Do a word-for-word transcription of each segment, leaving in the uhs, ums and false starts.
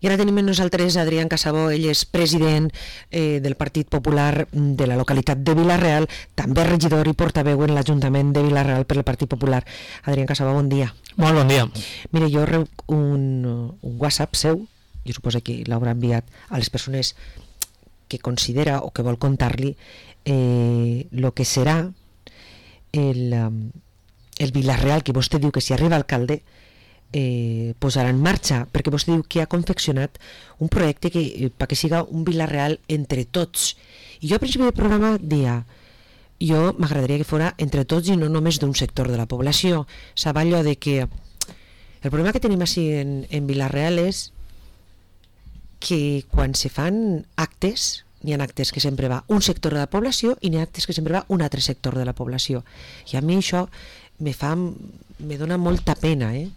I ara tenim amb nosaltres Adrián Casabó, ell és president eh, del Partit Popular de la localitat de Vila-real, també regidor i portaveu en l'Ajuntament de Vila-real per el Partit Popular. Adrián Casabó, bon dia. Molt bon dia. Mire, jo rebo un, un WhatsApp seu, jo suposo que l'haurà enviat a les persones que considera o que vol contar-li eh, lo que serà el, el Vila-real, que vostè diu que si arriba alcalde eh, posarà en marxa, perquè vostè diu que ha confeccionat un projecte que, eh, perquè siga un Vila-real entre tots. I jo al principi del programa dia, jo m'agradaria que fora entre tots i no només d'un sector de la població. Sabe allò de que el problema que tenim així en, en Vila-real és que quan se fan actes, n'hi ha actes que sempre va un sector de la població i n'hi ha actes que sempre va un altre sector de la població. I a mi això me fa, me dona molta pena, eh?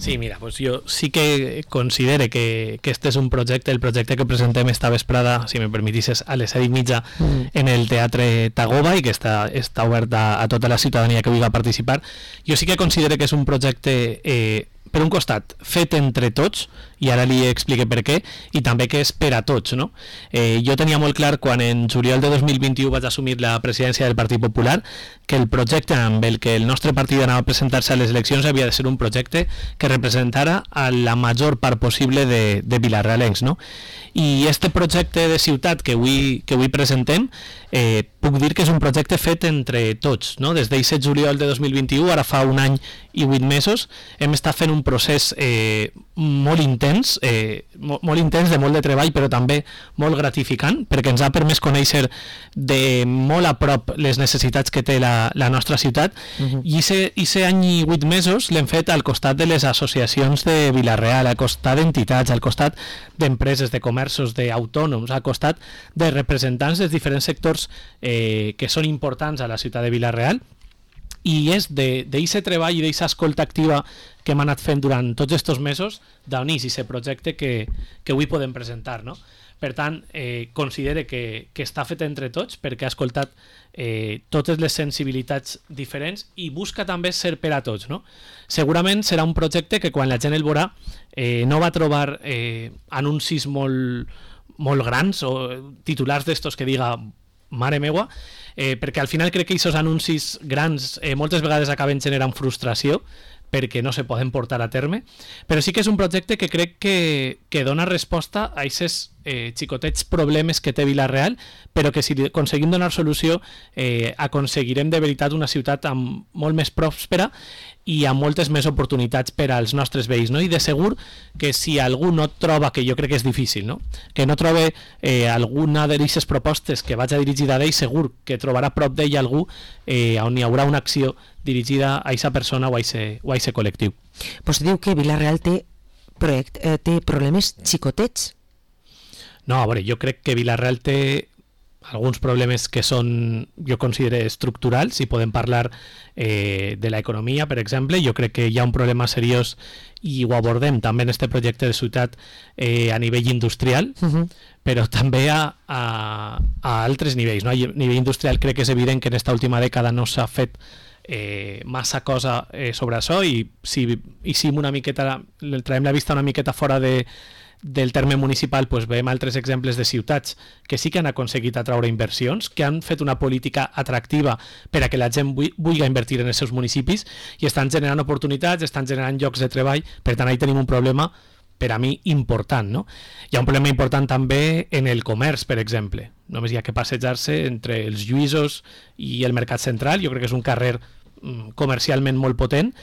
Sí, mira, pues yo sí que considere que, que este es un projecte, el projecte que presentem esta vesprada, si me permitisses, a les set i mitja mm. en el Teatre Tagoba i que està, està obert a, a tota la ciutadania que vulgui participar. Jo sí que considere que és un projecte, eh, per un costat, fet entre tots, i ara li explique per què, i també que és per a tots, no? Eh, jo tenia molt clar, quan en juliol de dos mil vint-i-u vaig assumir la presidència del Partit Popular, que el projecte amb el que el nostre partit anava a presentar-se a les eleccions havia de ser un projecte que representara a la major part possible de, de vilarrealencs, no? I este projecte de ciutat que avui, que avui presentem, eh, puc dir que és un projecte fet entre tots, no? Des del set de juliol de dos mil vint-i-u, ara fa un any i vuit mesos, hem estat fent un procés eh, molt intens, eh, molt, molt intens de molt de treball, però també molt gratificant, perquè ens ha permès conèixer de molt a prop les necessitats que té la, la nostra ciutat, uh-huh. i aquest any i vuit mesos l'hem fet al costat de les associacions de Vila-real, al costat d'entitats, al costat d'empreses, de comerços, d'autònoms, al costat de representants dels diferents sectors eh, que són importants a la ciutat de Vila-real, i és d'aquest treball i d'aquesta escolta activa que hem anat fent durant tots aquests mesos d'on és aquest projecte que, que avui podem presentar, no? Per tant, eh, considere que, que està fet entre tots perquè ha escoltat eh, totes les sensibilitats diferents i busca també ser per a tots, no? Segurament serà un projecte que quan la gent el veurà eh, no va trobar eh, anuncis molt, molt grans o titulars d'estos que diga mare meua, eh, perquè al final crec que aquests anuncis grans eh, moltes vegades acaben generant frustració perquè no se poden portar a terme, però sí que és un projecte que crec que, que dona resposta a aquests eh, xicotets problemes que té Vila-real, però que si aconseguim donar solució eh, aconseguirem de veritat una ciutat amb molt més pròspera i amb moltes més oportunitats per als nostres veïns, no? I de segur que si algú no troba, que jo crec que és difícil, no? Que no trobe eh, alguna d'aquestes propostes que vaig a dirigida a ell, segur que trobarà prop d'ell algú eh, on hi haurà una acció dirigida a aquesta persona o a aquest col·lectiu. Vostè diu que Vila-real té, project, eh, té problemes xicotets? No, a veure, jo crec que Vila-real té alguns problemes que són, jo considero, estructurals, i podem parlar eh, de l'economia, per exemple. Jo crec que hi ha un problema seriós i ho abordem també en aquest projecte de ciutat eh, a nivell industrial, uh-huh. però també a, a, a altres nivells, no? A nivell industrial crec que és evident que en aquesta última dècada no s'ha fet eh, massa cosa eh, sobre això, i si hicim una miqueta, traiem la vista una miqueta fora de del terme municipal, pues veiem altres exemples de ciutats que sí que han aconseguit atraure inversions, que han fet una política atractiva per a que la gent vulgui invertir en els seus municipis i estan generant oportunitats, estan generant llocs de treball. Per tant, ahí tenim un problema per a mi important, no? Hi ha un problema important també en el comerç, per exemple. Només hi ha que passejar-se entre els Lluïsos i el Mercat Central. Jo crec que és un carrer comercialment molt potent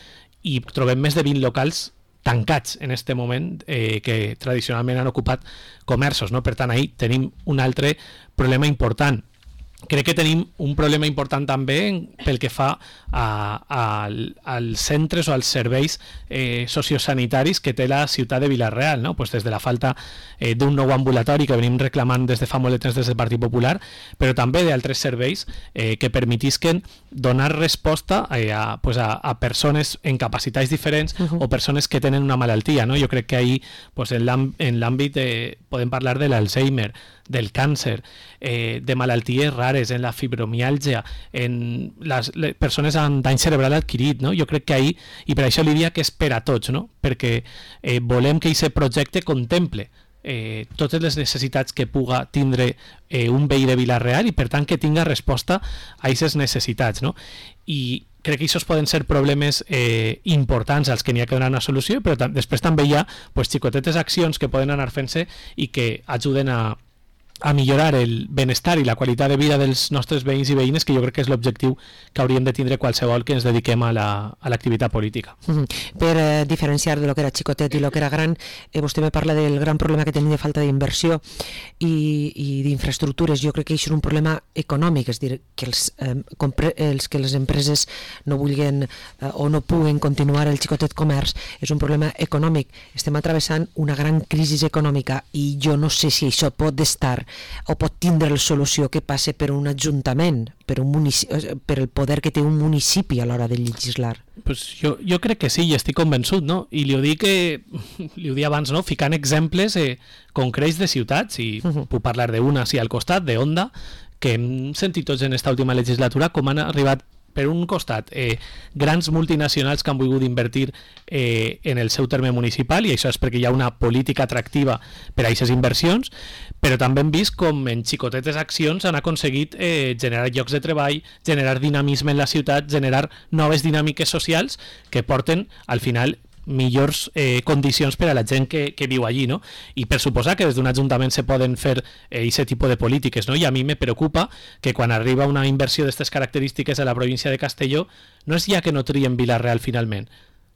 i trobem més de vint locals tancats en este moment eh, que tradicionalment han ocupat comerços, no? Per tant, ahí tenim un altre problema important. Crec que tenim un problema important també pel que fa a, a, als centres o als serveis eh, sociosanitaris que té la ciutat de Vila-real, no? Pues des de la falta eh, d'un nou ambulatori que venim reclamant des de fa molt de temps des del Partit Popular, però també d'altres serveis eh, que permetisquen donar resposta eh, a, pues a, a persones en capacitats diferents uh-huh. o persones que tenen una malaltia, no? Jo crec que ahí pues en l'àmbit eh, podem parlar de l'Alzheimer, del càncer, eh, de malalties rares, en la fibromiàlgia, en les, les persones amb dany cerebral adquirit, no? Jo crec que ahir, i per això li diria que és per a tots, no? Perquè eh, volem que aquest projecte contemple eh, totes les necessitats que puga tindre eh, un veí de Vila-real i per tant que tinga resposta a aquestes necessitats, no? I crec que aquests poden ser problemes eh, importants als que n'hi ha que donar una solució, però després també hi ha pues, xicotetes accions que poden anar fent-se i que ajuden a a millorar el benestar i la qualitat de vida dels nostres veïns i veïnes, que jo crec que és l'objectiu que hauríem de tindre qualsevol que ens dediquem a l'activitat política. Mm-hmm. Per eh, diferenciar de lo que era xicotet i lo que era gran, eh, vostè me parla del gran problema que tenim de falta d'inversió i, i d'infraestructures. Jo crec que això és un problema econòmic, és dir, que els, eh, compre, els que les empreses no vulguin eh, o no puguen continuar el xicotet comerç, és un problema econòmic. Estem atravessant una gran crisi econòmica i jo no sé si això pot estar o pot tindre la solució que passe per un ajuntament, per, un municipi, per el poder que té un municipi a l'hora de legislar. Pues jo, jo crec que sí, i estic convençut, no? I li ho dic, que, li ho dic abans, no? Ficant exemples eh, concrets de ciutats, i uh-huh. puc parlar d'una sí al costat, de Onda, que hem sentit tots en esta última legislatura com han arribat per un costat, eh, grans multinacionals que han volgut invertir eh, en el seu terme municipal, i això és perquè hi ha una política atractiva per a aquestes inversions, però també hem vist com en xicotetes accions han aconseguit eh, generar llocs de treball, generar dinamisme en la ciutat, generar noves dinàmiques socials que porten al final millors eh, condicions per a la gent que, que viu allí, no? I per suposar que des d'un ajuntament se poden fer aquest eh, tipus de polítiques, no? I a mi me preocupa que quan arriba una inversió d'aquestes característiques a la província de Castelló no és ja que no trien Vila-real finalment,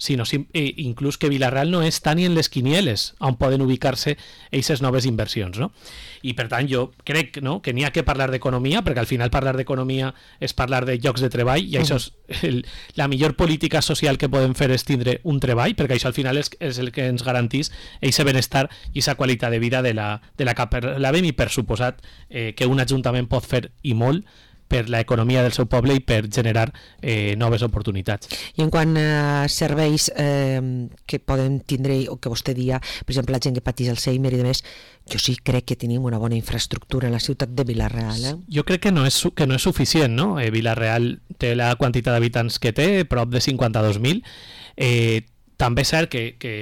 sinó eh, inclús que Vila-real no està ni en les quinieles on poden ubicar-se aquestes noves inversions, no? I per tant jo crec, no?, que n'hi ha que parlar d'economia, perquè al final parlar d'economia és parlar de llocs de treball, i això és el, la millor política social que podem fer és tindre un treball, perquè això al final és, és el que ens garantís aquest benestar i aquesta qualitat de vida de la, de la que parlàvem, i per suposat eh, que un ajuntament pot fer i molt per l'economia del seu poble i per generar eh, noves oportunitats. I en quant a serveis eh, que poden tindre, o que vostè dia, per exemple, la gent que patís Alzheimer i demés, jo sí crec que tenim una bona infraestructura en la ciutat de Vila-real. Eh? Jo crec que no és, que no és suficient, no? Eh, Vila-real té la quantitat d'habitants que té, prop de cinquanta-dos mil. Eh, també és cert que, que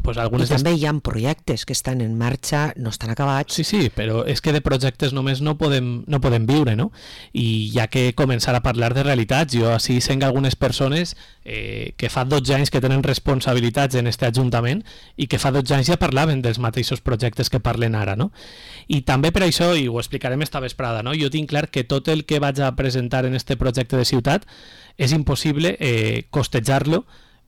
pues algunes I també hi ha projectes que estan en marxa, no estan acabats. Sí, sí, però és que de projectes només no podem, no podem viure, no? I hi ha que començar a parlar de realitats. Jo així senc algunes persones eh, que fa dotze anys que tenen responsabilitats en este ajuntament i que fa dotze anys ja parlaven dels mateixos projectes que parlen ara, no? I també per això, i ho explicarem esta vesprada, no? Jo tinc clar que tot el que vaig a presentar en este projecte de ciutat és impossible eh, costejar-lo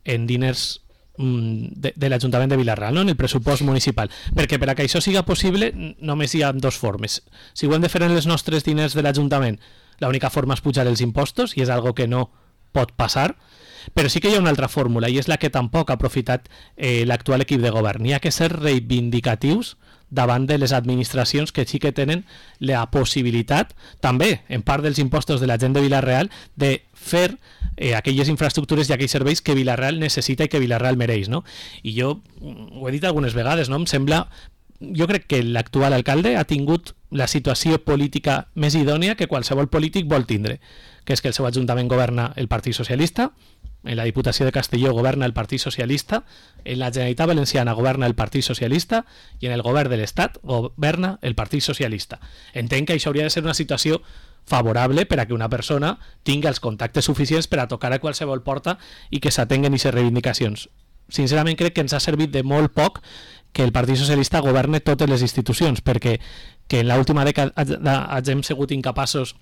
en diners de, de l'Ajuntament de Vila-real, no? En el pressupost municipal, perquè per a que això siga possible només hi ha dues formes. Si ho hem de fer en els nostres diners de l'Ajuntament, l'única forma és pujar els impostos, i és algo que no pot passar, però sí que hi ha una altra fórmula, i és la que tampoc ha aprofitat eh, l'actual equip de govern. Hi ha que ser reivindicatius davant de les administracions que sí que tenen la possibilitat, també en part dels impostos de la gent de Vila-real, de fer eh, aquelles infraestructures i aquells serveis que Vila-real necessita i que Vila-real mereix, no? I jo ho he dit algunes vegades, no? Em sembla, jo crec que l'actual alcalde ha tingut la situació política més idònia que qualsevol polític vol tindre, que és que el seu ajuntament governa el Partit Socialista, en la Diputació de Castelló governa el Partit Socialista, en la Generalitat Valenciana governa el Partit Socialista i en el govern de l'Estat governa el Partit Socialista. Entenc que això hauria de ser una situació favorable per a que una persona tingui els contactes suficients per a tocar a qualsevol porta i que s'atenguen aquestes reivindicacions. Sincerament crec que ens ha servit de molt poc que el Partit Socialista governe totes les institucions, perquè que en l'última dècada hagin sigut incapaços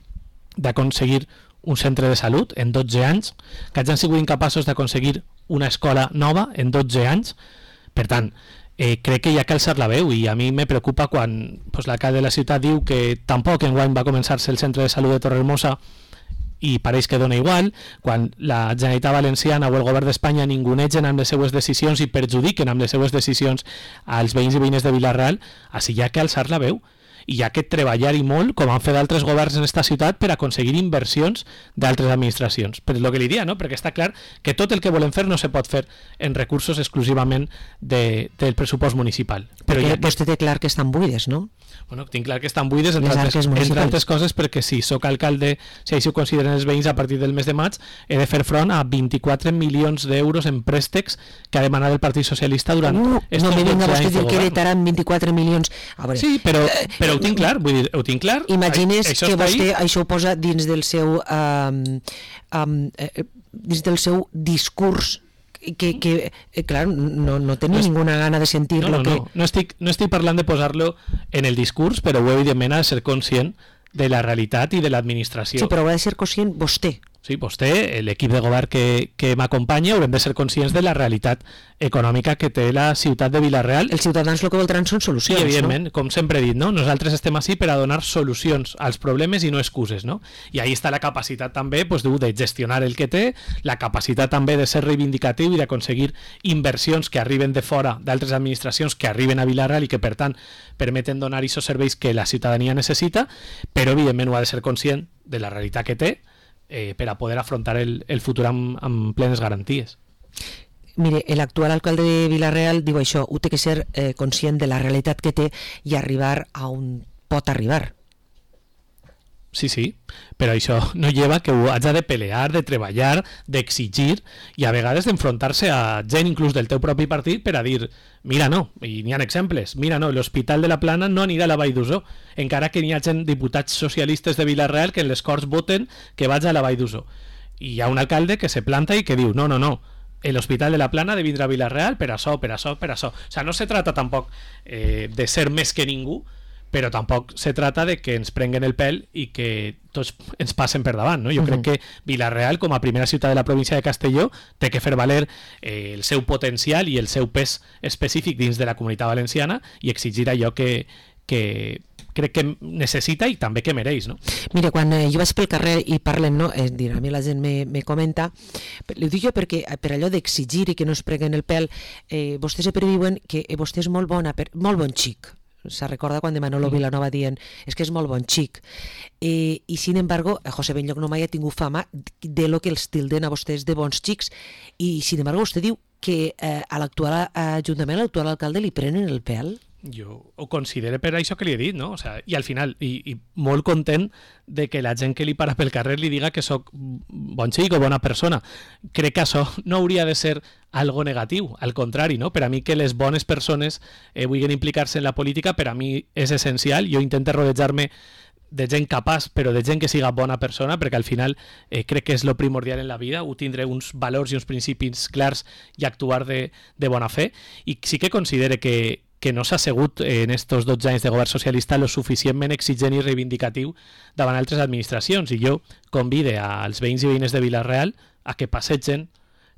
d'aconseguir un centre de salut en dotze anys, que hagin sigut incapaços d'aconseguir una escola nova en dotze anys. Per tant, eh, crec que hi ha que alçar la veu, i a mi me preocupa quan pues, l'alcalde de la ciutat diu que tampoc enguany va començar-se el centre de salut de Torrehermosa i pareix que dona igual, quan la Generalitat Valenciana o el govern d'Espanya ningunegen amb les seues decisions i perjudiquen amb les seues decisions als veïns i veïnes de Vila-real. Així hi ha que alçar la veu. i hi ha que treballar-hi molt, com han fet altres governs en esta ciutat, per aconseguir inversions d'altres administracions. Però és el que li dia, no? Perquè està clar que tot el que volem fer no se pot fer en recursos exclusivament de, del pressupost municipal. Però ja que vostè té clar que estan buides, no? Bueno, tinc clar que estan buides, entre altres, entre altres coses, perquè si sóc alcalde, si així ho consideren els veïns, a partir del mes de maig he de fer front a vint-i-quatre milions d'euros en préstecs que ha demanat el Partit Socialista durant uh, estos no me venga vostè dir que govern. heretaran vint-i-quatre milions. A veure, sí, però, però ho tinc clar, vull dir, ho tinc clar. Imagines això que vostè ahí. Això ho posa dins del seu um, um, eh, dins del seu discurs que, que eh, clar, no, no tenia no ninguna gana de sentir no, lo no, que... No, no, estic, no estic parlant de posar-lo en el discurs, però evidentment ha de ser conscient de la realitat i de l'administració. Sí, però ha de ser conscient vostè. Sí, vostè, l'equip de govern que, que m'acompanya, haurem de ser conscients de la realitat econòmica que té la ciutat de Vila-real. Els ciutadans el que voldran són solucions, sí, evidentment, no? Com sempre he dit, no? Nosaltres estem així per a donar solucions als problemes i no excuses, no? I ahí està la capacitat també pues, de gestionar el que té, la capacitat també de ser reivindicatiu i d'aconseguir inversions que arriben de fora d'altres administracions que arriben a Vila-real i que, per tant, permeten donar aquests serveis que la ciutadania necessita, però evidentment ho ha de ser conscient de la realitat que té, Eh, per a poder afrontar el, el futur amb, amb plenes garanties. Mire, l'actual alcalde de Vila-real diu això, ho té que ser eh, conscient de la realitat que té i arribar a on pot arribar. Sí, sí, però això no lleva que ho hagi de pelear, de treballar, d'exigir i a vegades d'enfrontar-se a gent inclús del teu propi partit per a dir mira no, i n'hi ha exemples, mira no, l'Hospital de la Plana no anirà a la Vall d'Uso, encara que n'hi ha gent, diputats socialistes de Vila-real que en les Corts voten que vagi a la Vall d'Uso. I hi ha un alcalde que se planta i que diu no, no, no, l'Hospital de la Plana de vindre a Vila-real per això, per això, per això. O sea, no se trata tampoc eh, de ser més que ningú, però tampoc se trata de que ens prenguen el pèl i que tots ens passen per davant, no? Jo uh-huh. crec que Vila-real, com a primera ciutat de la província de Castelló, té que fer valer eh, el seu potencial i el seu pes específic dins de la comunitat valenciana i exigir allò que, que crec que necessita i també que mereix, no? Mira, quan eh, jo vaig pel carrer i parlen, no? Eh, dir, a mi la gent me, me comenta, ho dic jo perquè per allò d'exigir i que no es preguen el pèl, eh, vostès sempre diuen que eh, vostè és molt bona, per, molt bon xic. Se recorda quan de Manolo Vilanova dient és que és molt bon xic eh, i sin embargo José Benlloc no mai ha tingut fama de lo que els tilden a vostès de bons xics i sin embargo vostè diu que eh, a l'actual ajuntament, a l'actual alcalde li prenen el pèl. Jo ho considero per això que li he dit, no? O sea, i al final, i, i molt content de que la gent que li para pel carrer li diga que sóc bon xic o bona persona. Crec que això no hauria de ser algo negatiu, al contrari, no? Per a mi que les bones persones eh, vulguin implicar-se en la política, per a mi és essencial. Jo intento rodejar-me de gent capaç, però de gent que siga bona persona, perquè al final eh, crec que és lo primordial en la vida, ho tindre uns valors i uns principis clars i actuar de, de bona fe. I sí que considere que que no s'ha assegut en estos dotze anys de govern socialista lo suficientment exigent i reivindicatiu davant altres administracions. I jo convide als veïns i veïnes de Vila-real a que passegen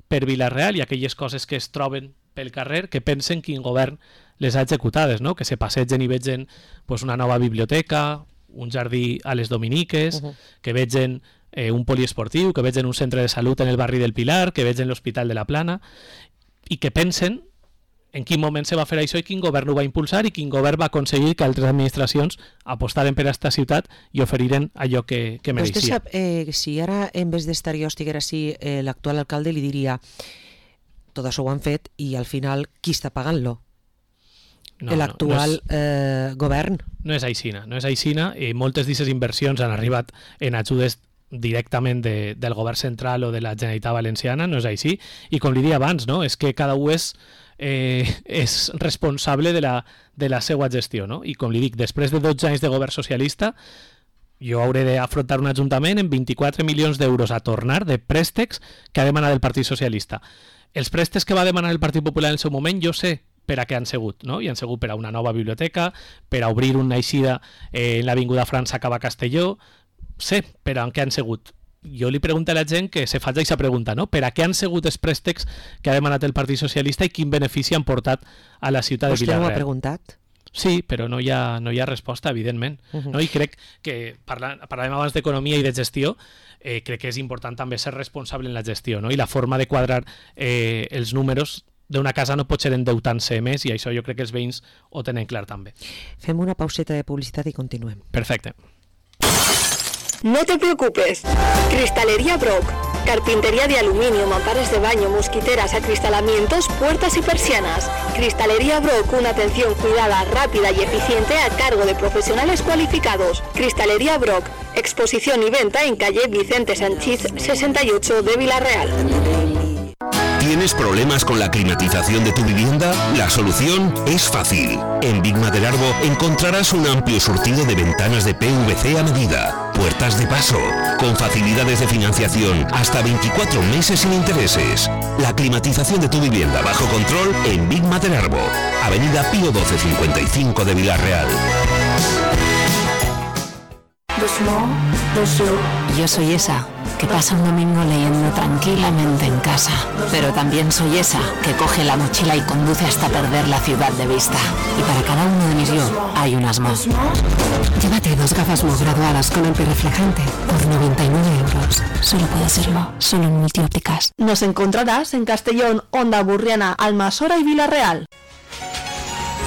per Vila-real i aquelles coses que es troben pel carrer, que pensen quin govern les ha executades, no? Que se passegen i vegen pues, una nova biblioteca, un jardí a les Dominiques, uh-huh. que vegen eh, un poliesportiu, que vegen un centre de salut en el barri del Pilar, que vegen l'Hospital de la Plana, i que pensen en quin moment se va fer això i quin govern ho va impulsar i quin govern va aconseguir que altres administracions apostaren per a aquesta ciutat i oferiren allò que, que mereixia. Vostè sap, eh, si ara en vez d'estar jo estiguera així, eh, l'actual alcalde li diria tot això ho han fet i al final qui està pagant-lo? No, l'actual no, no és, eh, govern? No és aixina, no és aixina i moltes d'aquestes inversions han arribat en ajudes directament de, del govern central o de la Generalitat Valenciana, no és així, i com li dia abans, no? És que cada un és Eh, és responsable de la, de la seva gestió, no? I com li dic, després de dotze anys de govern socialista jo hauré d'afrontar un ajuntament amb vint-i-quatre milions d'euros a tornar de préstecs que ha demanat el Partit Socialista. Els préstecs que va demanar el Partit Popular en el seu moment jo sé per a què han sigut, no? I han sigut per a una nova biblioteca, per a obrir una eixida eh, en l'Avinguda França cap a Castelló, sé per a què han sigut. Jo li pregunto a la gent que se faci aquesta pregunta, no? Per a què han sigut els préstecs que ha demanat el Partit Socialista i quin benefici han portat a la ciutat de Vila-real? Vostè no ho ha preguntat? Sí, però no hi ha, no hi ha resposta, evidentment. Uh-huh. No? I crec que, parlant, parlàvem abans d'economia i de gestió, eh, crec que és important també ser responsable en la gestió, no? I la forma de quadrar eh, els números d'una casa no pot ser endeutant-se més, i això jo crec que els veïns ho tenen clar també. Fem una pauseta de publicitat i continuem. Perfecte. No te preocupes. Cristalería Brock. Carpintería de aluminio, mamparas de baño, mosquiteras, acristalamientos, puertas y persianas. Cristalería Brock, una atención cuidada, rápida y eficiente a cargo de profesionales cualificados. Cristalería Brock. Exposición y venta en calle Vicente Sanchís sesenta y ocho de Villarreal. ¿Tienes problemas con la climatización de tu vivienda? La solución es fácil. En Big Mother Arbo encontrarás un amplio surtido de ventanas de P V C a medida, puertas de paso, con facilidades de financiación hasta veinticuatro meses sin intereses. La climatización de tu vivienda bajo control en Big Mother Arbo, Avenida Pío doce cincuenta y cinco de Villarreal. Yo soy esa que pasa un domingo leyendo tranquilamente en casa, pero también soy esa que coge la mochila y conduce hasta perder la ciudad de vista. Y para cada uno de mis yo hay unas Mo. Llévate dos gafas Mo graduadas con antirreflejante por noventa y nueve euros. Solo puede ser Mo, solo en Multiópticas. Nos encontrarás en Castellón, Onda Burriana, Almasora y Villarreal.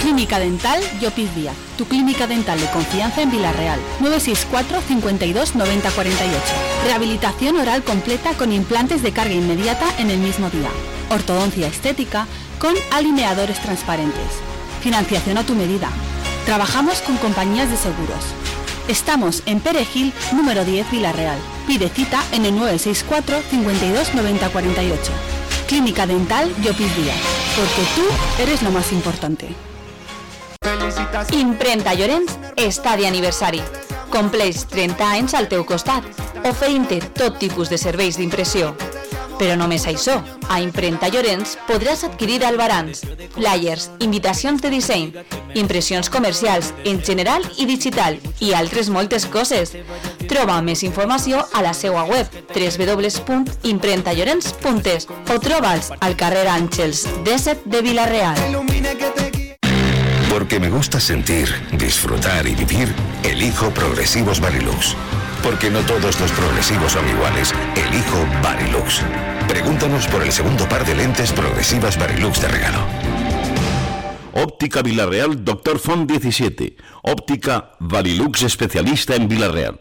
Clínica Dental Llopis Díaz, tu clínica dental de confianza en Villarreal. nueve seis cuatro, cincuenta y dos, noventa, cuarenta y ocho. Rehabilitación oral completa con implantes de carga inmediata en el mismo día. Ortodoncia estética con alineadores transparentes. Financiación a tu medida. Trabajamos con compañías de seguros. Estamos en Perejil, número diez, Villarreal. Pide cita en el nueve seis cuatro, cincuenta y dos, noventa, cuarenta y ocho. Clínica Dental Llopis Díaz, porque tú eres lo más importante. Imprenta Llorenç està d'aniversari. Compleix trenta anys al teu costat, oferint-te tot tipus de serveis d'impressió. Però només això, a Imprenta Llorenç podràs adquirir albarans, flyers, invitacions de disseny, impressions comercials en general i digital i altres moltes coses. Troba més informació a la seva web w w w punt imprenta llorenç punt es o troba'ls al carrer Àngels disset de Villarreal. Porque me gusta sentir, disfrutar y vivir, elijo Progresivos Varilux. Porque no todos los progresivos son iguales, elijo Varilux. Pregúntanos por el segundo par de lentes progresivas Varilux de regalo. Óptica Villarreal, Doctor Font diecisiete. Óptica Varilux, especialista en Villarreal.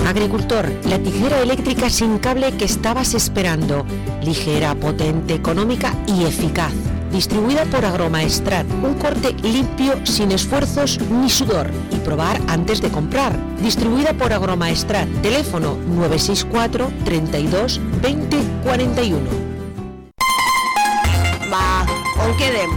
Agricultor, la tijera eléctrica sin cable que estabas esperando. Ligera, potente, económica y eficaz. Distribuida por Agromaestrat, un corte limpio sin esfuerzos ni sudor. Y probar antes de comprar. Distribuida por Agromaestrat, teléfono nueve seis cuatro, treinta y dos, veinte, cuarenta y uno. Va, on quedem?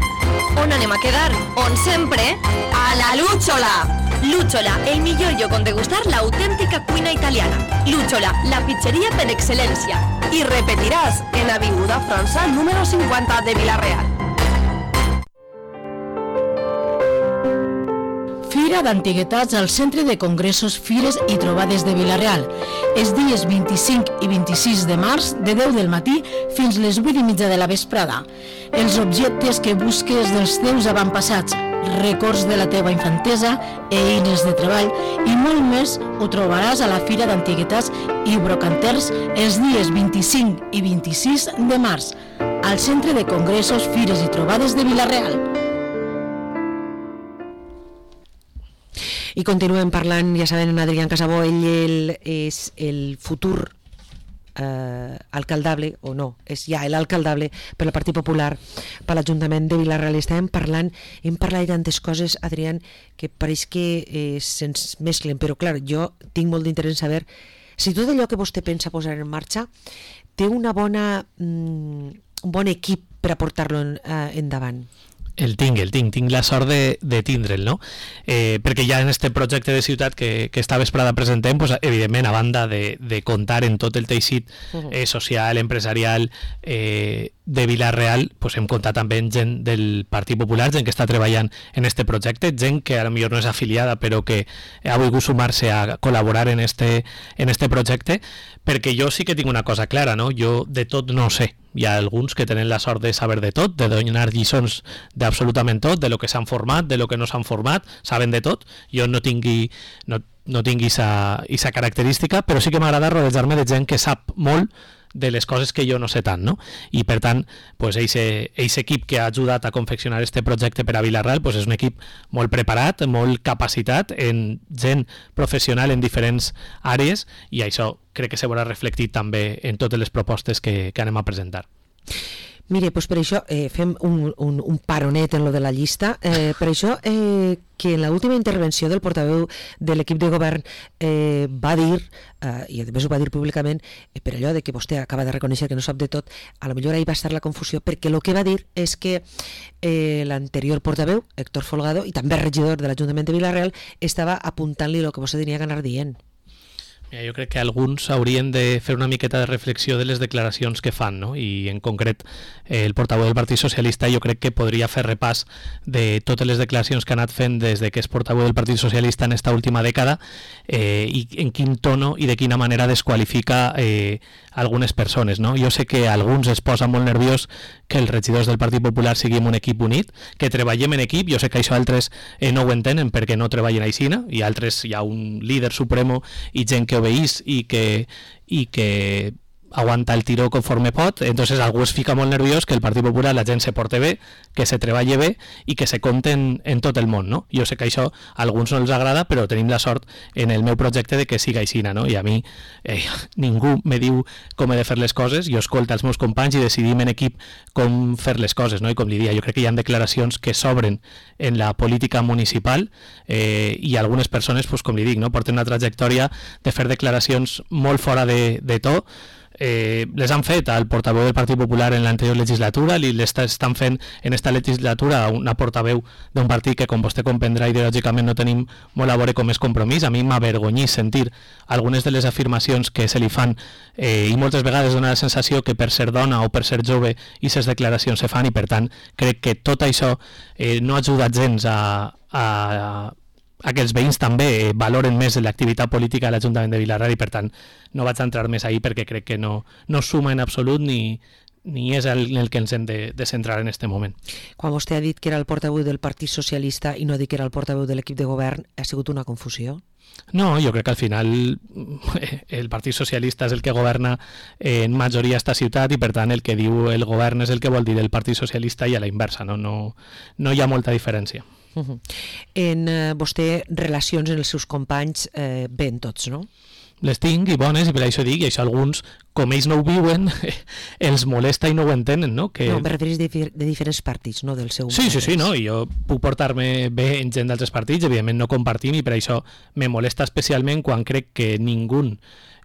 On anem a quedar? On sempre? A la Lúchola! Lúchola, el millor lloc on degustar l'autèntica cuina italiana. Lúchola, la pizzeria per excel·lència. I repetiràs en Avinguda França, número cinquanta de Villarreal. Fira d'Antiguitats al Centre de Congressos, Fires i Trobades de Villarreal. Els dies vint-i-cinc i vint-i-sis de març, de deu del matí fins les vuit i mitja de la vesprada. Els objectes que busques dels teus avantpassats, records de la teva infantesa, eines de treball i molt més ho trobaràs a la Fira d'Antiguitats i Brocanters els dies vint-i-cinc i vint-i-sis de març, al Centre de Congressos, Fires i Trobades de Villarreal. I continuem parlant, ja saben, en Adrián Casabó, ell, ell és el futur eh, alcaldable, o no, és ja l'alcaldable per al Partit Popular, per l'Ajuntament de Villarreal. Estàvem parlant, hem parlat de tantes coses, Adrián, que pareix que eh, se'ns mesclen, però clar, jo tinc molt d'interès en saber si tot allò que vostè pensa posar en marxa té una bona, mm, un bon equip per a portar-lo en, eh, endavant. El tinc, el tinc, tinc la sort de, de tindre'l, no? Eh, perquè ja en este projecte de ciutat que, que esta vesprada presentem, pues, evidentment, a banda de, de comptar en tot el teixit eh, social, empresarial eh, de Villarreal, pues, hem comptat també en gent del Partit Popular, gent que està treballant en este projecte, gent que a lo millor no és afiliada, però que ha volgut sumar-se a col·laborar en este, en este projecte, perquè jo sí que tinc una cosa clara, no? Jo de tot no sé. Hi ha alguns que tenen la sort de saber de tot, de donar lliçons d'absolutament tot, de lo que s'han format, de lo que no s'han format, saben de tot. Jo no tingui no, no tingui esa característica, però sí que m'agrada rodejar-me de gent que sap molt de les coses que jo no sé tant, no? I per tant, pues, aquest equip que ha ajudat a confeccionar este projecte per a Vila-real pues, és un equip molt preparat, molt capacitat, en gent professional en diferents àrees, i això crec que se veurà reflectit també en totes les propostes que, que anem a presentar. Mire, doncs per això eh, fem un, un, un paronet en lo de la llista. Eh, per això eh, que en l'última intervenció del portaveu de l'equip de govern eh, va dir, eh, i a més ho va dir públicament, eh, per allò de que vostè acaba de reconèixer que no sap de tot, a lo millor ahí va estar la confusió, perquè el que va dir és que eh, l'anterior portaveu, Héctor Folgado, i també regidor de l'Ajuntament de Vila-real, estava apuntant-li el que vostè tenia que anar dient. Mira, jo crec que alguns haurien de fer una miqueta de reflexió de les declaracions que fan, no? I en concret eh, el portaveu del Partit Socialista jo crec que podria fer repàs de totes les declaracions que ha anat fent des de que és portaveu del Partit Socialista en esta última dècada eh, i en quin tono i de quina manera desqualifica eh, algunes persones, no? Jo sé que a alguns es posa molt nerviós que els regidors del Partit Popular siguin un equip unit, que treballem en equip. Jo sé que això altres eh, no ho entenen perquè no treballen aixina, i altres hi ha un líder supremo i gent que obeís i que, i que aguanta el tiró conforme pot. Entonces algú es fica molt nerviós que el Partit Popular la gent se porte bé, que se treballe bé i que se compte en, en tot el món, no? Jo sé que això a alguns no els agrada, però tenim la sort en el meu projecte de que siga aixina, no? I a mi eh, ningú me diu com he de fer les coses, jo escolto els meus companys i decidim en equip com fer les coses, no? I com li dia, jo crec que hi ha declaracions que s'obren en la política municipal eh, i algunes persones, pues, com li dic, no? Porten una trajectòria de fer declaracions molt fora de, de to. Eh, les han fet al portaveu del Partit Popular en l'anterior legislatura, i les estan fent en esta legislatura una portaveu d'un partit que, com vostè comprendrà, ideològicament no tenim molt a veure com és Compromís. A mi m'avergonyís sentir algunes de les afirmacions que se li fan eh, i moltes vegades dona la sensació que per ser dona o per ser jove i ses declaracions se fan, i per tant crec que tot això eh, no ha ajudat gens a, a, a aquests veïns també valoren més l'activitat política de l'Ajuntament de Vila-real, i per tant no vaig entrar més ahí perquè crec que no, no suma en absolut ni, ni és el, el que ens hem de, de centrar en este moment. Quan vostè ha dit que era el portaveu del Partit Socialista i no ha dit que era el portaveu de l'equip de govern, ha sigut una confusió? No, jo crec que al final el Partit Socialista és el que governa en majoria esta ciutat, i per tant el que diu el govern és el que vol dir el Partit Socialista, i a la inversa, no, no, no hi ha molta diferència. Uh-huh. En eh, vostè relacions en els seus companys eh, ben tots, no? Les tinc i bones, i per això dic, i això alguns, com ells no ho viuen, els molesta i no ho entenen, no? Que... No, em referís de, de diferents partits, no del seu... Sí, sí, sí, no? I jo puc portar-me bé en gent d'altres partits, evidentment no compartim, i per això me molesta especialment quan crec que ningú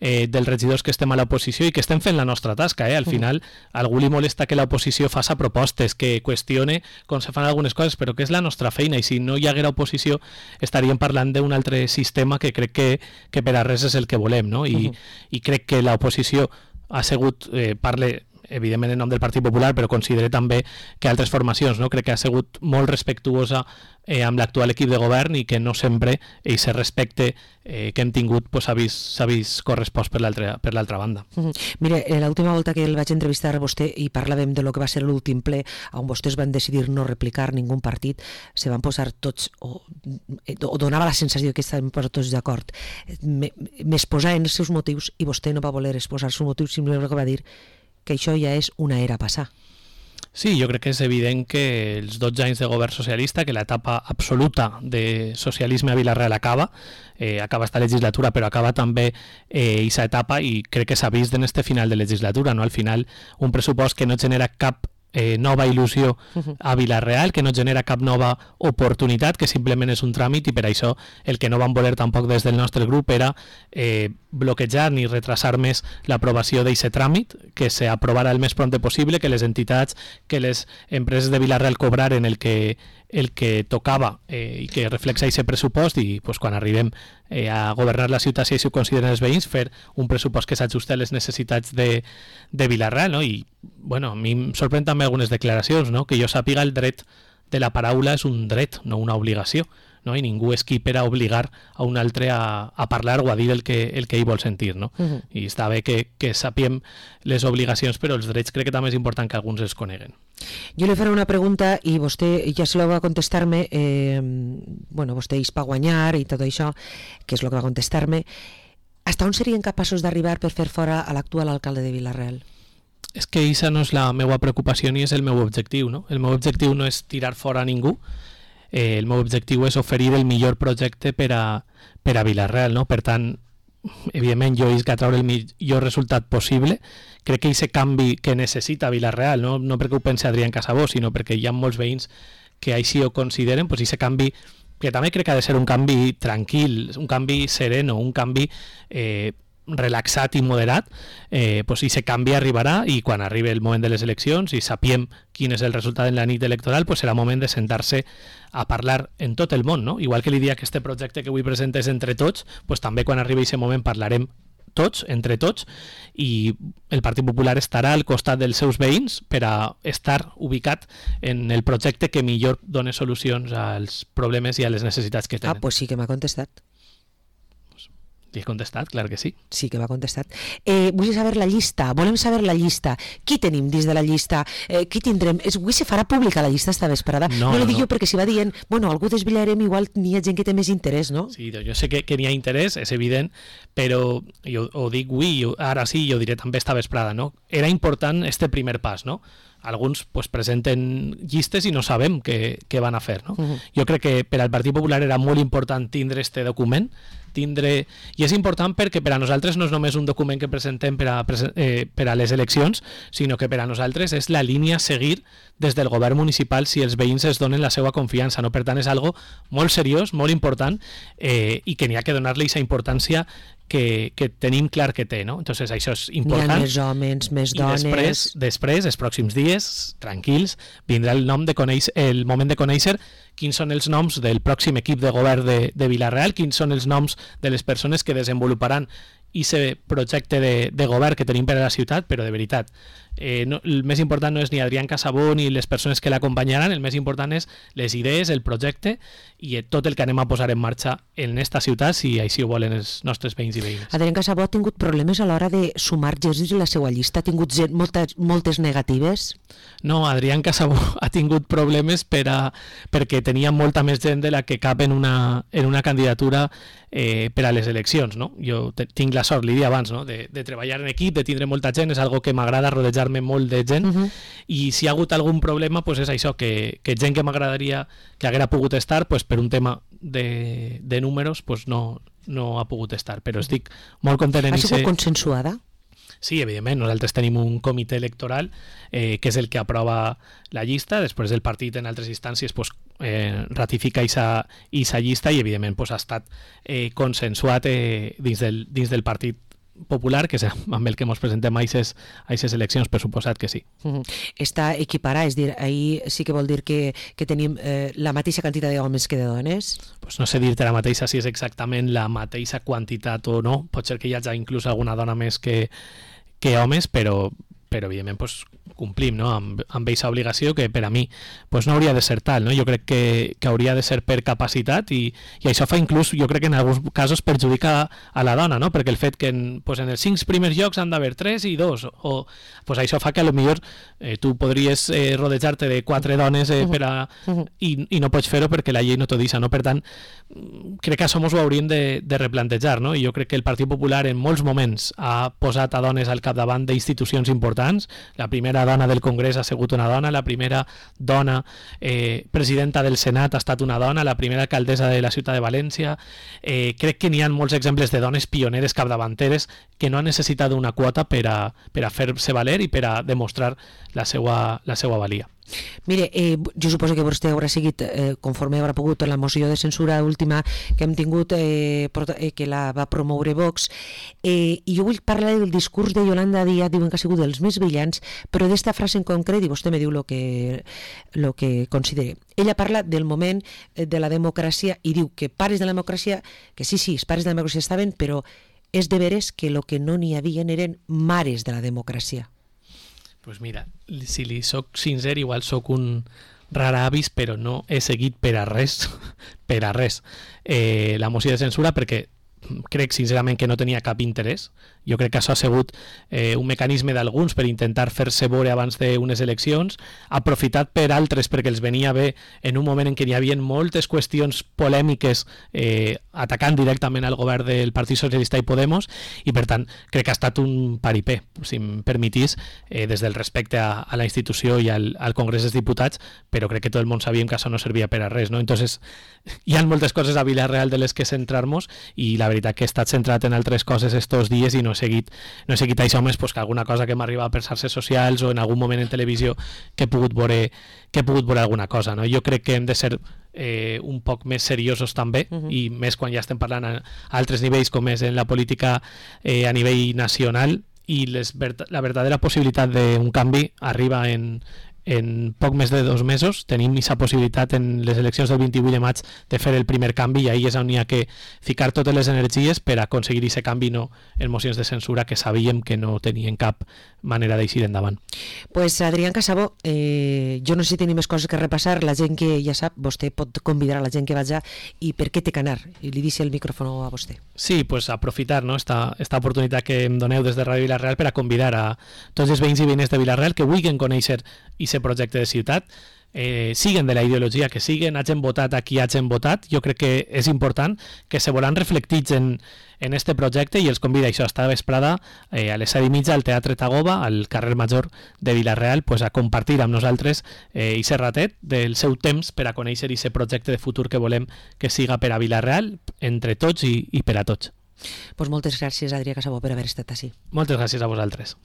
eh, dels regidors que estem a l'oposició i que estem fent la nostra tasca, eh? Al final a algú li molesta que l'oposició faça propostes, que qüestione com se fan algunes coses, però que és la nostra feina, i si no hi haguera oposició estaríem parlant d'un altre sistema que crec que, que per a res és el que volem, no? I, uh-huh. i crec que l'oposició ha sigut, eh, parle evidentment en nom del Partit Popular, però considero també que altres formacions, no? Crec que ha sigut molt respectuosa eh, amb l'actual equip de govern, i que no sempre aquest respecte eh, que hem tingut pues, s'ha vist, s'ha vist correspost per l'altra per l'altra banda. Uh-huh. Mire, l'última volta que el vaig entrevistar a vostè i parlàvem de lo que va ser l'últim ple on vostès van decidir no replicar ningú partit, se van posar tots, o, o donava la sensació que estaven posats tots d'acord. M'exposar en els seus motius i vostè no va voler exposar els seus motius, simplement que va dir que això ja és una era passar. Sí, jo crec que és evident que els dotze anys de govern socialista, que l'etapa absoluta de socialisme a Vila-real acaba, eh, acaba esta legislatura, però acaba també aquesta eh, etapa, i crec que s'ha vist en este final de legislatura, no? Al final, un pressupost que no genera cap Eh, nova il·lusió a Vila-real, que no genera cap nova oportunitat, que simplement és un tràmit, i per això el que no vam voler tampoc des del nostre grup era eh, bloquejar ni retrasar més l'aprovació d'aquest tràmit, que s'aprovarà el més prompte possible, que les entitats, que les empreses de Vila-real cobraren el que, el que tocava eh, i que reflexa aquest pressupost, i pues, quan arribem eh, a governar la ciutat, si ho consideren els veïns, fer un pressupost que s'ajusta a les necessitats de, de Vila-real, no? I bueno, a mi em sorprèn també algunes declaracions, no? Que jo sàpiga, el dret de la paraula és un dret, no una obligació, no? I ningú és qui per a obligar a un altre a, a parlar o a dir el que, el que ell vol sentir, no? Uh-huh. I està bé que, que sapiem les obligacions, però els drets crec que també és important que alguns els coneguen. Jo li faré una pregunta i vostè ja se la va contestar-me, eh, bueno, vostè és per guanyar i tot això, que és el que va contestar-me. Hasta on serien capaços d'arribar per fer fora a l'actual alcalde de Vila-real? És que aquesta no és la meva preocupació ni és el meu objectiu, no? El meu objectiu no és tirar fora a ningú, eh, el meu objectiu és oferir el millor projecte per a, per a Vila-real, no? Per tant, evidentment jo isc a treure el millor resultat possible. Crec que aquest canvi que necessita Vila-real, no, no perquè ho pensi Adrián Casabó, sinó perquè hi ha molts veïns que així ho consideren, doncs aquest canvi que també crec que ha de ser un canvi tranquil, un canvi sereno, un canvi eh, relaxat i moderat, eh, pues aquest canvi arribarà i quan arribi el moment de les eleccions i sapiem quin és el resultat en la nit electoral, pues serà moment de sentar-se a parlar en tot el món, no? Igual que li dia que este projecte que avui presentes entre tots, pues també quan arribi aquest moment parlarem tots, entre tots, i el Partit Popular estarà al costat dels seus veïns per a estar ubicat en el projecte que millor doni solucions als problemes i a les necessitats que tenen. Ah, pues sí que m'ha contestat. Li he contestat, clar que sí. Sí que m'ha contestat. Eh, vull saber la llista, volem saber la llista. Qui tenim dins de la llista? Eh, qui tindrem? És, avui se farà pública la llista esta vesprada. No, no, no li dic no. Jo perquè si va dient, bueno, algú desvetllarem, igual n'hi ha gent que té més interès, no? Sí, jo sé que, que n'hi ha interès, és evident, però jo ho dic avui, jo, ara sí, jo diré també esta vesprada, no? Era important este primer pas, no? Alguns pues, presenten llistes i no sabem què, què van a fer, no? Uh-huh. Jo crec que per al Partit Popular era molt important tindre este document, tindre... i és important perquè per a nosaltres no és només un document que presentem per a, eh, per a les eleccions, sinó que per a nosaltres és la línia a seguir des del govern municipal si els veïns es donen la seva confiança, no? Per tant és algo molt seriós, molt important, eh, i que n'hi ha que donar-li aquesta importància que, que tenim clar que té, no? Entonces això és important. N'hi ha més homes, més dones... I després, després, els pròxims dies, tranquils, vindrà el nom de conèixer, el moment de conèixer quins són els noms del pròxim equip de govern de, de Vila-real, quins són els noms de les persones que desenvoluparan aquest projecte de, de govern que tenim per a la ciutat, però de veritat, eh, no, el més important no és ni Adrián Casabó ni les persones que l'acompanyaran, el més important és les idees, el projecte i tot el que anem a posar en marxa en esta ciutat, si així ho volen els nostres veïns i veïnes. Adrián Casabó ha tingut problemes a l'hora de sumar Jersis a la seva llista? Ha tingut moltes, moltes negatives? No, Adrián Casabó ha tingut problemes per a, perquè tenia molta més gent de la que cap en una, en una candidatura eh, per a les eleccions, no? Jo te, tinc la sort, li dia abans, no? de, de treballar en equip, de tindre molta gent, és algo que m'agrada rodejar-me molt de gent, uh-huh. i si ha hagut algun problema, pues és això, que, que gent que m'agradaria que haguera pogut estar, pues per un tema de, de números, pues no, no ha pogut estar, però estic molt content en això. Ha sigut ese... consensuada? Sí, evidentment, nosaltres tenim un comitè electoral eh, que és el que aprova la llista, després el partit en altres instàncies pues, eh, ratifica aquesta llista i evidentment pues, ha estat eh, consensuat eh, dins, del, dins del Partit Popular, que és amb el que ens presentem a aquestes eleccions, per suposat que sí. Uh-huh. Està equiparà, és dir, ahir sí que vol dir que, que tenim eh, la mateixa quantitat d'homes que de dones? Pues no sé dir-te la mateixa si és exactament la mateixa quantitat o no, pot ser que hi hagi inclús alguna dona més que, que homes, però, però evidentment pues, complim, no? amb, amb aquesta obligació que per a mi pues, no hauria de ser tal, no? Jo crec que, que hauria de ser per capacitat i, i això fa inclús, jo crec que en alguns casos perjudica a la dona, no? Perquè el fet que en, pues, en els cinc primers llocs han d'haver tres i dos, o pues, això fa que a lo millor eh, tu podries eh, rodejar-te de quatre dones eh, per a, uh-huh. i, i no pots fer-ho perquè la llei no t'ho deixa, no? Per tant, crec que això ens ho hauríem de, de replantejar, no? I jo crec que el Partit Popular en molts moments ha posat a dones al capdavant d'institucions importants. La primera dona del Congrés ha sigut una dona, la primera dona eh, presidenta del Senat ha estat una dona, la primera alcaldessa de la ciutat de València. Eh, crec que n'hi ha molts exemples de dones pioneres capdavanteres que no han necessitat una quota per a, per a fer-se valer i per a demostrar la seva, la seva valia. Mire, eh, jo suposo que vostè haurà seguit eh, conforme haurà pogut la moció de censura última que hem tingut eh, que la va promoure Vox, eh, i jo vull parlar del discurs de Yolanda Díaz. Diuen que ha sigut dels més brillants, però d'esta frase en concret, i vostè me diu el que, lo que considere. Ella parla del moment de la democràcia i diu que pares de la democràcia, que sí, sí, els pares de la democràcia estaven, però és de veres que el que no n'hi havia eren mares de la democràcia. Pues mira, si li soc sincer, igual soc un raravis, però no he seguit per a res, per a res, eh, la moció de censura, perquè crec sincerament que no tenia cap interès. Jo crec que això ha sigut eh, un mecanisme d'alguns per intentar fer-se veure abans d'unes eleccions, aprofitat per altres perquè els venia bé en un moment en què hi havia moltes qüestions polèmiques eh, atacant directament al govern del Partit Socialista i Podemos, i per tant crec que ha estat un paripé, si em permetís, eh, des del respecte a, a la institució i al, al Congrés dels Diputats, però crec que tot el món sabíem que això no servia per a res, no? Entonces hi ha moltes coses a Vila-real de les que centrar-nos, i la veritat que he estat centrat en altres coses estos dies i no he seguit, no he seguit això més pues, que alguna cosa que m'arriba per xarxes socials o en algun moment en televisió que he pogut veure, que he pogut veure alguna cosa, no? Jo crec que hem de ser eh, un poc més seriosos també, uh -huh. i més quan ja estem parlant a, a altres nivells com és en la política eh, a nivell nacional, i les, la verdadera possibilitat d'un canvi arriba en, en poc més de dos mesos. Tenim aquesta possibilitat en les eleccions del vint-i-vuit de maig de fer el primer canvi, i ahí és on hi ha que ficar totes les energies per aconseguir aquest canvi, no en mocions de censura que sabíem que no tenien cap manera d'eixir endavant. Pues Adrián Casabó, eh, jo no sé si tenim més coses que repassar. La gent que ja sap, vostè pot convidar a la gent que vaja, i per què té que anar? I li deixo el micròfon a vostè. Sí, pues aprofitar, no, esta, esta oportunitat que em doneu des de Ràdio Vila-real per a convidar a tots els veïns i veïnes de Vila-real que vulguin conèixer aquest projecte de ciutat, eh, siguen de la ideologia que siguen, hagin votat a qui hagin votat. Jo crec que és important que se volen reflectits en, en este projecte, i els convida això esta vesprada eh, a les set i mitja al Teatre Tagoba, al carrer Major de Vila-real, pues, a compartir amb nosaltres eh, i ser ratet del seu temps per a conèixer aquest projecte de futur que volem que siga per a Vila-real, entre tots i, i per a tots. Pues moltes gràcies, Adrià Casabó, per haver estat així. Moltes gràcies a vosaltres.